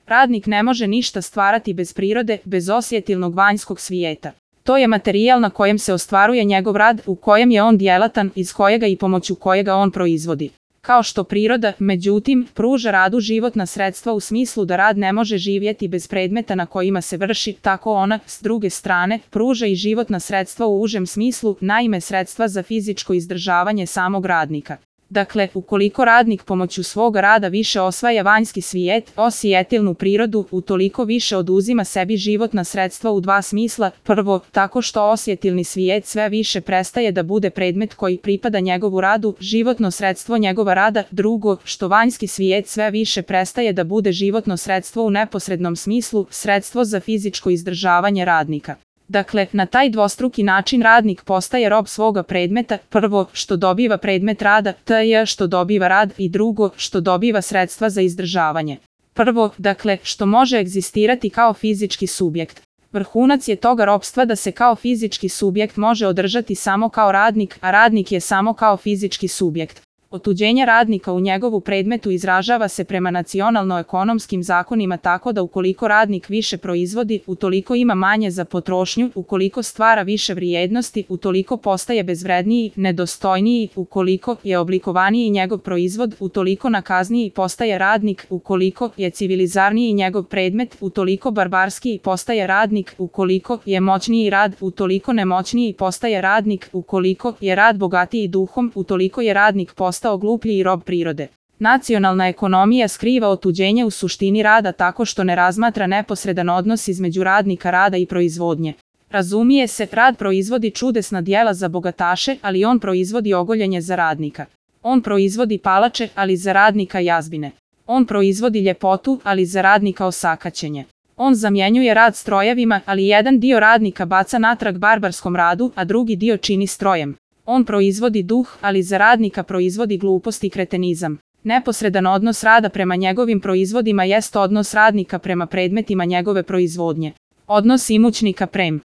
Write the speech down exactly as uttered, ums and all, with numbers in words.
Radnik ne može ništa stvarati bez prirode, bez osjetilnog vanjskog svijeta. To je materijal na kojem se ostvaruje njegov rad, u kojem je on djelatan, iz kojega i pomoću kojega on proizvodi. Kao što priroda, međutim, pruža radu životna sredstva u smislu da rad ne može živjeti bez predmeta na kojima se vrši, tako ona, s druge strane, pruža i životna sredstva u užem smislu, naime sredstva za fizičko izdržavanje samog radnika. Dakle, ukoliko radnik pomoću svog rada više osvaja vanjski svijet, osjetilnu prirodu, utoliko više oduzima sebi životna sredstva u dva smisla. Prvo, tako što osjetilni svijet sve više prestaje da bude predmet koji pripada njegovu radu, životno sredstvo njegova rada. Drugo, što vanjski svijet sve više prestaje da bude životno sredstvo u neposrednom smislu, sredstvo za fizičko izdržavanje radnika. Dakle, na taj dvostruki način radnik postaje rob svoga predmeta, prvo, što dobiva predmet rada, to je što dobiva rad, i drugo, što dobiva sredstva za izdržavanje. Prvo, dakle, što može egzistirati kao fizički subjekt. Vrhunac je toga ropstva da se kao fizički subjekt može održati samo kao radnik, a radnik je samo kao fizički subjekt. Otuđenje radnika u njegovu predmetu izražava se prema nacionalno-ekonomskim zakonima tako da ukoliko radnik više proizvodi, utoliko ima manje za potrošnju, ukoliko stvara više vrijednosti, utoliko postaje bezvredniji, nedostojniji, ukoliko je oblikovaniji njegov proizvod, utoliko nakazniji postaje radnik, ukoliko je civilizarniji njegov predmet, utoliko barbarskiji postaje radnik, ukoliko je moćniji rad, utoliko nemoćniji postaje radnik, ukoliko je rad bogatiji duhom, utoliko je radnik postao gluplji i rob prirode. Nacionalna ekonomija skriva otuđenje u suštini rada tako što ne razmatra neposredan odnos između radnika rada i proizvodnje. Razumije se, rad proizvodi čudesna djela za bogataše, ali on proizvodi ogoljenje za radnika. On proizvodi palače, ali za radnika jazbine. On proizvodi ljepotu, ali za radnika osakaćenje. On zamjenjuje rad strojevima, ali jedan dio radnika baca natrag barbarskom radu, a drugi dio čini strojem. On proizvodi duh, ali za radnika proizvodi glupost i kretenizam. Neposredan odnos rada prema njegovim proizvodima jest odnos radnika prema predmetima njegove proizvodnje. Odnos imućnika prem